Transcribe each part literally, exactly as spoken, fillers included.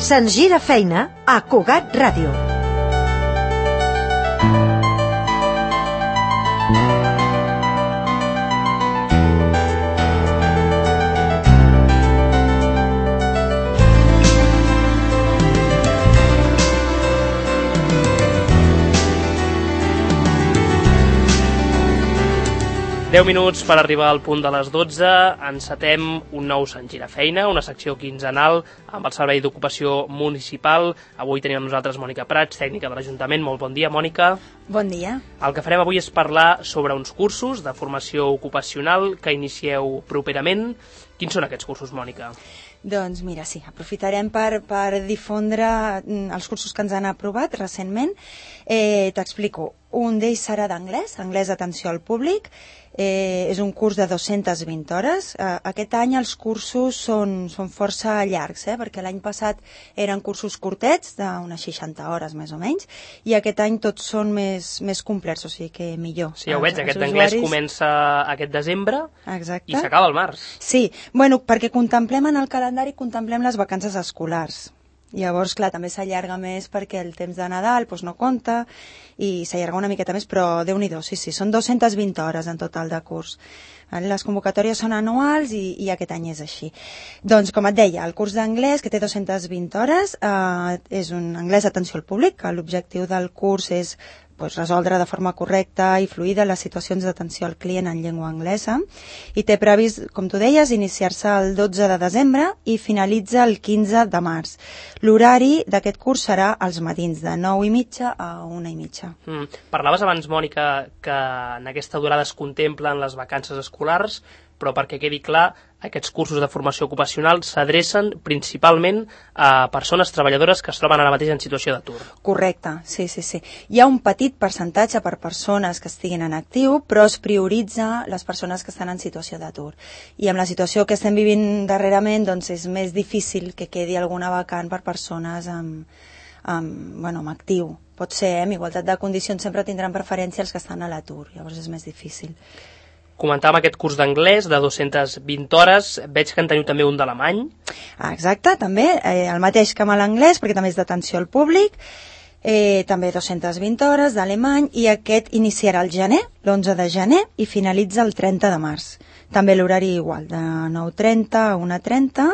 Se'ns gira feina a Cugat Ràdio. deu minuts per arribar al punt de les dotze, encetem un nou Sant Gira Feina, una secció quinzenal amb el Servei d'Ocupació Municipal. Avui tenim amb nosaltres Mònica Prats, tècnica de l'Ajuntament. Molt bon dia, Mònica. Bon dia. El que farem avui és parlar sobre uns cursos de formació ocupacional que inicieu properament. Quins són aquests cursos, Mònica? Doncs mira, sí, aprofitarem per, per difondre els cursos que ens han aprovat recentment. Eh, T'explico. Un d'ells serà d'anglès, anglès d'atenció al públic. Eh, és un curs de dues-centes vint hores. Eh, aquest any els cursos són, són força llargs, eh, perquè l'any passat eren cursos curtets, d'unes seixanta hores més o menys, i aquest any tots són més, més complets, o sigui que millor. Sí, ja ho veig, aquest d'anglès comença aquest desembre. Exacte. I s'acaba al març. Sí, bueno, perquè contemplem en el calendari, contemplem les vacances escolars. Llavors, clar, també s'allarga més perquè el temps de Nadal doncs, no compta i s'allarga una miqueta més, però Déu-n'hi-do, sí, sí, són dues-centes vint hores en total de curs. Les convocatòries són anuals i, i aquest any és així. Doncs, com et deia, el curs d'anglès, que té dues-centes vint hores, eh, és un anglès d'atenció al públic, que l'objectiu del curs és pues, resoldre de forma correcta i fluida les situacions d'atenció al client en llengua anglesa, i té previst, com tu deies, iniciar-se el dotze de desembre i finalitza el quinze de març. L'horari d'aquest curs serà als matins, de nou i mitja a una i mitja. Mm. Parlaves abans, Mònica, que en aquesta durada es contemplen les vacances escolars, però perquè quedi clar, aquests cursos de formació ocupacional s'adrecen principalment a persones treballadores que es troben ara mateix en situació d'atur. Correcte, sí, sí, sí. Hi ha un petit percentatge per persones que estiguin en actiu, però es prioritza les persones que estan en situació d'atur. I amb la situació que estem vivint darrerament, doncs és més difícil que quedi alguna vacant per persones amb, amb, bueno, amb actiu. Pot ser, eh? Amb igualtat de condicions sempre tindran preferència els que estan a l'atur, llavors és més difícil. Comentàvem aquest curs d'anglès de dues-centes vint hores, veig que en teniu també un d'alemany. Ah, exacte, també, eh, el mateix que amb l'anglès, perquè també és d'atenció al públic, eh, també dues-centes vint hores d'alemany, i aquest iniciarà el gener, l'onze de gener, i finalitza el trenta de març. També l'horari igual, de nou trenta a una trenta,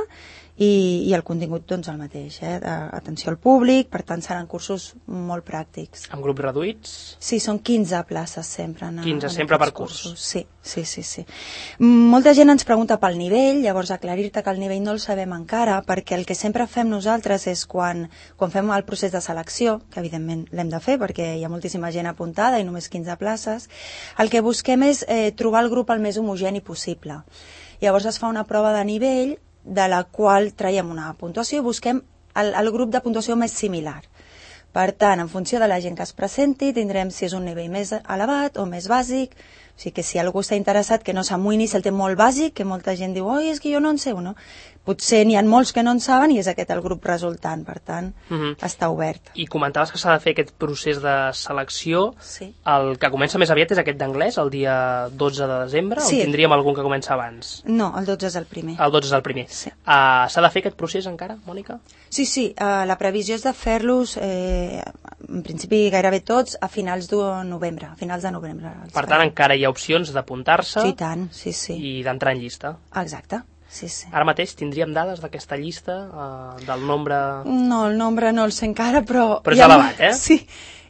i, i el contingut doncs el mateix, eh? Atenció al públic, per tant seran cursos molt pràctics. Amb grups reduïts? Sí, són quinze places sempre. En, quinze en sempre per curs? Cursos. Sí, sí, sí, sí. Molta gent ens pregunta pel nivell, llavors aclarir-te que el nivell no el sabem encara, perquè el que sempre fem nosaltres és quan, quan fem el procés de selecció, que evidentment l'hem de fer perquè hi ha moltíssima gent apuntada i només quinze places, el que busquem és eh, trobar el grup el més homogeni possible. Llavors es fa una prova de nivell de la qual traiem una puntuació i busquem el, el grup de puntuació més similar. Per tant, en funció de la gent que es presenti, tindrem si és un nivell més elevat o més bàsic. O sigui que si algú està interessat, que no s'amoïni si el té molt bàsic, que molta gent diu, oi, és que jo no en sé, no? Potser n'hi ha molts que no en saben i és aquest el grup resultant, per tant, uh-huh. està obert. I comentaves que s'ha de fer aquest procés de selecció. Sí. El que comença més aviat és aquest d'anglès, el dia dotze de desembre, sí. O tindríem algun que comença abans? No, el dotze és el primer. El dotze és el primer. Sí. Uh, s'ha de fer aquest procés encara, Mònica? Sí, sí, uh, la previsió és de fer-los, eh, en principi gairebé tots, a finals de novembre, a finals de novembre. Per tant, encara hi ha opcions d'apuntar-se sí, tant, sí, sí. i d'entrar en llista. Exacte. Sí, sí. Ara mateix tindríem dades d'aquesta llista, eh, del nombre... No, el nombre no el sé encara, però... Però és elevat, eh? Sí,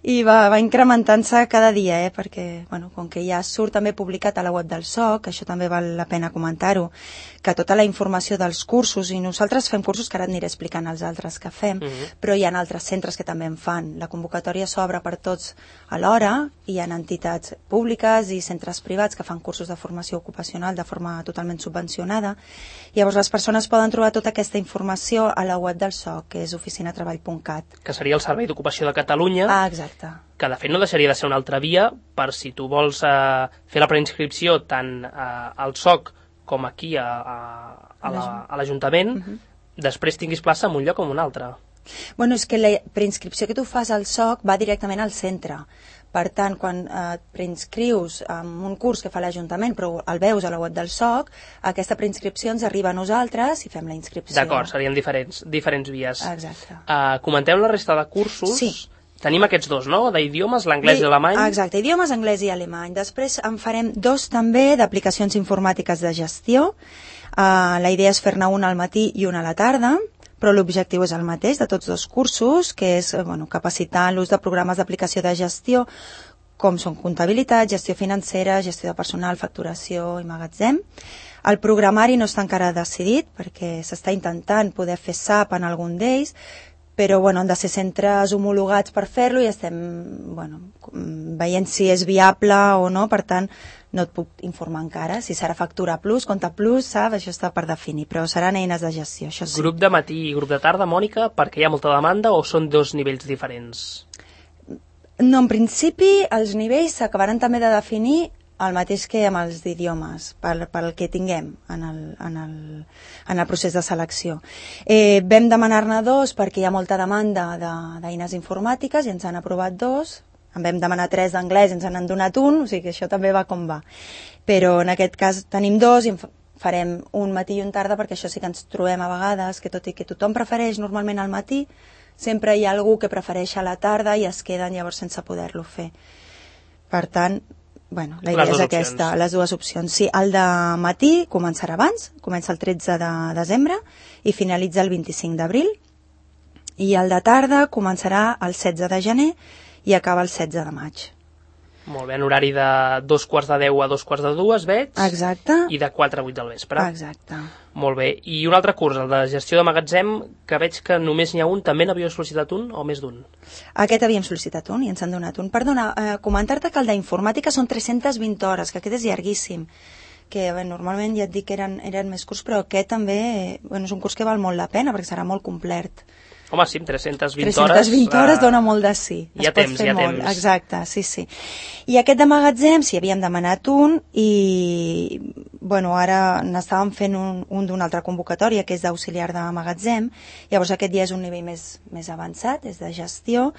i va, va incrementant-se cada dia, eh? Perquè, bueno, com que ja surt també publicat a la web del S O C, això també val la pena comentar-ho, que tota la informació dels cursos, i nosaltres fem cursos que ara et aniré explicant els altres que fem, uh-huh. però hi ha altres centres que també en fan. La convocatòria s'obre per tots alhora, hi ha entitats públiques i centres privats que fan cursos de formació ocupacional de forma totalment subvencionada. Llavors les persones poden trobar tota aquesta informació a la web del S O C, que és oficina treball punt cat. Que seria el Servei d'Ocupació de Catalunya. Ah, exacte. Que de fet no deixaria de ser una altra via per si tu vols eh, fer la preinscripció tant eh, al S O C com aquí a, a, a, la, a l'Ajuntament, uh-huh. després tinguis plaça en un lloc o en un altre. Bueno, és que la preinscripció que tu fas al S O C va directament al centre, Per tant, quan et preinscrius en un curs que fa l'Ajuntament, però el veus a la web del S O C, aquesta preinscripció ens arriba a nosaltres i fem la inscripció. D'acord, serien diferents, diferents vies. Exacte. Uh, comenteu la resta de cursos. Sí. Tenim aquests dos, no?, d'idiomes, l'anglès i l'alemany. Exacte, idiomes, anglès i alemany. Després en farem dos també d'aplicacions informàtiques de gestió. Uh, la idea és fer-ne una al matí i una a la tarda, però l'objectiu és el mateix de tots dos cursos, que és bueno, capacitar l'ús de programes d'aplicació de gestió, com són comptabilitat, gestió financera, gestió de personal, facturació i magatzem. El programari no està encara decidit, perquè s'està intentant poder fer S A P en algun d'ells, però bueno, han de ser centres homologats per fer-lo i estem bueno, veient si és viable o no, per tant no et puc informar encara, si serà factura plus, compte plus, saps? Això està per definir, però seran eines de gestió, això sí. Grup de matí i grup de tarda, Mònica, perquè hi ha molta demanda o són dos nivells diferents? No, en principi els nivells s'acabaran també de definir el mateix que amb els d'idiomes, pel, pel que tinguem en el, en el, en el procés de selecció. Eh, vam demanar-ne dos perquè hi ha molta demanda d'eines informàtiques i ens han aprovat dos. En vam demanar tres d'anglès i ens han donat un, o sigui que això també va com va. Però en aquest cas tenim dos i en farem un matí i un tarda perquè això sí que ens trobem a vegades, que tot i que tothom prefereix normalment al matí, sempre hi ha algú que prefereix a la tarda i es queden llavors sense poder-lo fer. Per tant, bueno, la idea és aquesta, opcions. Les dues opcions. Sí, el de matí començarà abans, comença el tretze de desembre i finalitza el vint-i-cinc d'abril, i el de tarda començarà el setze de gener i acaba el setze de maig. Molt bé, en horari de dos quarts de deu a dos quarts de dues, veig? Exacte. I de quatre a vuit del vespre. Exacte. Molt bé. I un altre curs, el de gestió de magatzem, que veig que només n'hi ha un, també n'havíeu sol·licitat un o més d'un? Aquest havíem sol·licitat un i ens han donat un. Perdona, eh, comentar-te que el d'informàtica són tres-centes vint hores, que aquest és llarguíssim. Que bé, normalment ja et dic que eren, eren més curts, però aquest també bueno, és un curs que val molt la pena perquè serà molt complet. Home, sí, amb tres-centes vint hores... tres-centes vint hores dona molt de sí. Hi ha temps, hi ha molt. temps. Exacte, sí, sí. I aquest de magatzem, sí, havíem demanat un i, bueno, ara n'estàvem fent un, un d'una altra convocatòria, que és d'auxiliar de magatzem. Llavors aquest ja és un nivell més, més avançat, és de gestió,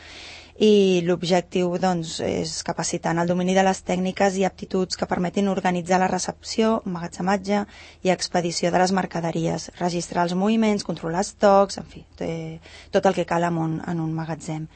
i l'objectiu doncs, és capacitar en el domini de les tècniques i aptituds que permetin organitzar la recepció, emmagatzematge i expedició de les mercaderies, registrar els moviments, controlar estocs, en fi, tot el que cal en un, en un magatzem.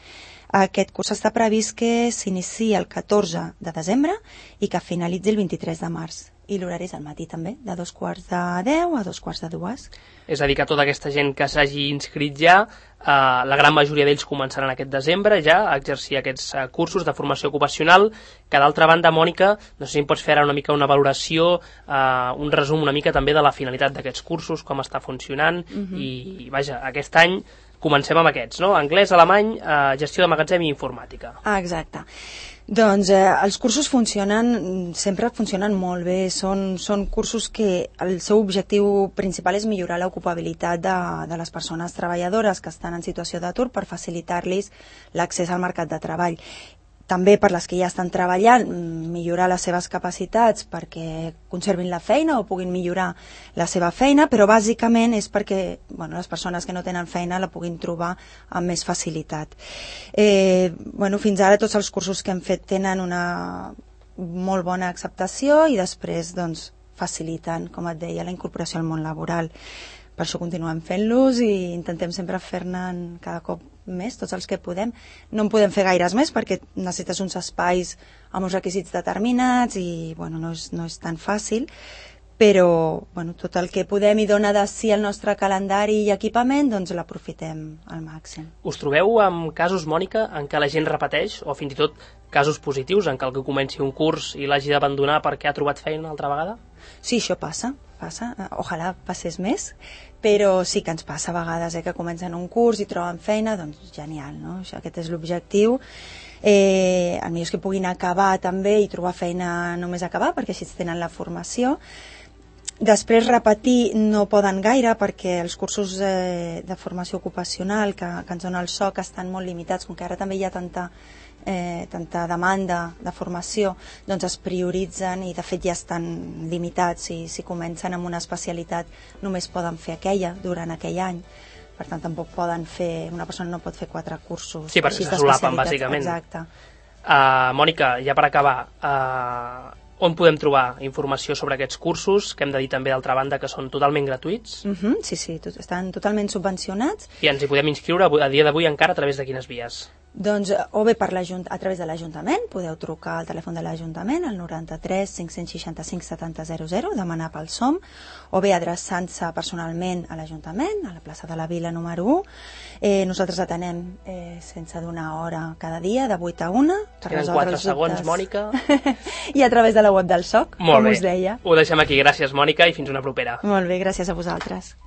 Aquest curs està previst que s'iniciï el catorze de desembre i que finalitzi el vint-i-tres de març. I l'horari és al matí també, de dos quarts de deu a dos quarts de dues. És a dir, que tota aquesta gent que s'hagi inscrit ja, eh, la gran majoria d'ells començaran aquest desembre ja a exercir aquests eh, cursos de formació ocupacional, que d'altra banda, Mònica, no sé si em pots fer ara una mica una valoració, eh, un resum una mica també de la finalitat d'aquests cursos, com està funcionant, uh-huh. i, i vaja, aquest any comencem amb aquests, no? Anglès, alemany, eh, gestió de magatzem i informàtica. Ah, exacte. Doncs eh, els cursos funcionen, sempre funcionen molt bé, són, són cursos que el seu objectiu principal és millorar l'ocupabilitat de, de les persones treballadores que estan en situació d'atur per facilitar-los l'accés al mercat de treball. També per les que ja estan treballant, millorar les seves capacitats perquè conservin la feina o puguin millorar la seva feina, però bàsicament és perquè bueno, les persones que no tenen feina la puguin trobar amb més facilitat. Eh, bueno, fins ara tots els cursos que hem fet tenen una molt bona acceptació i després doncs, faciliten, com et deia, la incorporació al món laboral. Per això continuem fent-los i intentem sempre fer-ne cada cop més, tots els que podem. No en podem fer gaires més perquè necessites uns espais amb uns requisits determinats i bueno, no, és, no és tan fàcil, però bueno, tot el que podem i dona de si el nostre calendari i equipament, doncs l'aprofitem al màxim. Us trobeu amb casos, Mònica, en què la gent repeteix, o fins i tot casos positius, en què algú comenci un curs i l'hagi d'abandonar perquè ha trobat feina una altra vegada? Sí, això passa, passa. Ojalà passés més, però sí que ens passa a vegades eh, que comencen un curs i troben feina, doncs genial, no? Això, aquest és l'objectiu. Eh, el millor és que puguin acabar també i trobar feina només acabar, perquè així tenen la formació. Després repetir no poden gaire perquè els cursos eh, de formació ocupacional que, que ens dona el S O C estan molt limitats, com que ara també hi ha tanta, eh, tanta demanda de formació, doncs es prioritzen i de fet ja estan limitats. Si, si comencen amb una especialitat només poden fer aquella durant aquell any. Per tant, tampoc poden fer, una persona no pot fer quatre cursos. Sí, perquè se solapen, bàsicament. Exacte. Uh, Mònica, ja per acabar, uh, on podem trobar informació sobre aquests cursos, que hem de dir també d'altra banda que són totalment gratuïts? Uh -huh, sí, sí, tot, estan totalment subvencionats. I ens hi podem inscriure a dia d'avui encara a través de quines vies? Doncs o bé per a través de l'Ajuntament, podeu trucar al telèfon de l'Ajuntament, al noranta-tres cinc seixanta-cinc setanta zero zero, demanar pel S O M, o bé adreçant-se personalment a l'Ajuntament, a la plaça de la Vila número u. Eh, nosaltres atenem eh, sense donar hora cada dia, de vuit a una. Per Queden quatre segons, Mònica. I a través de la web del S O C, Molt com bé. us deia. Ho deixem aquí. Gràcies, Mònica, i fins una propera. Molt bé, gràcies a vosaltres.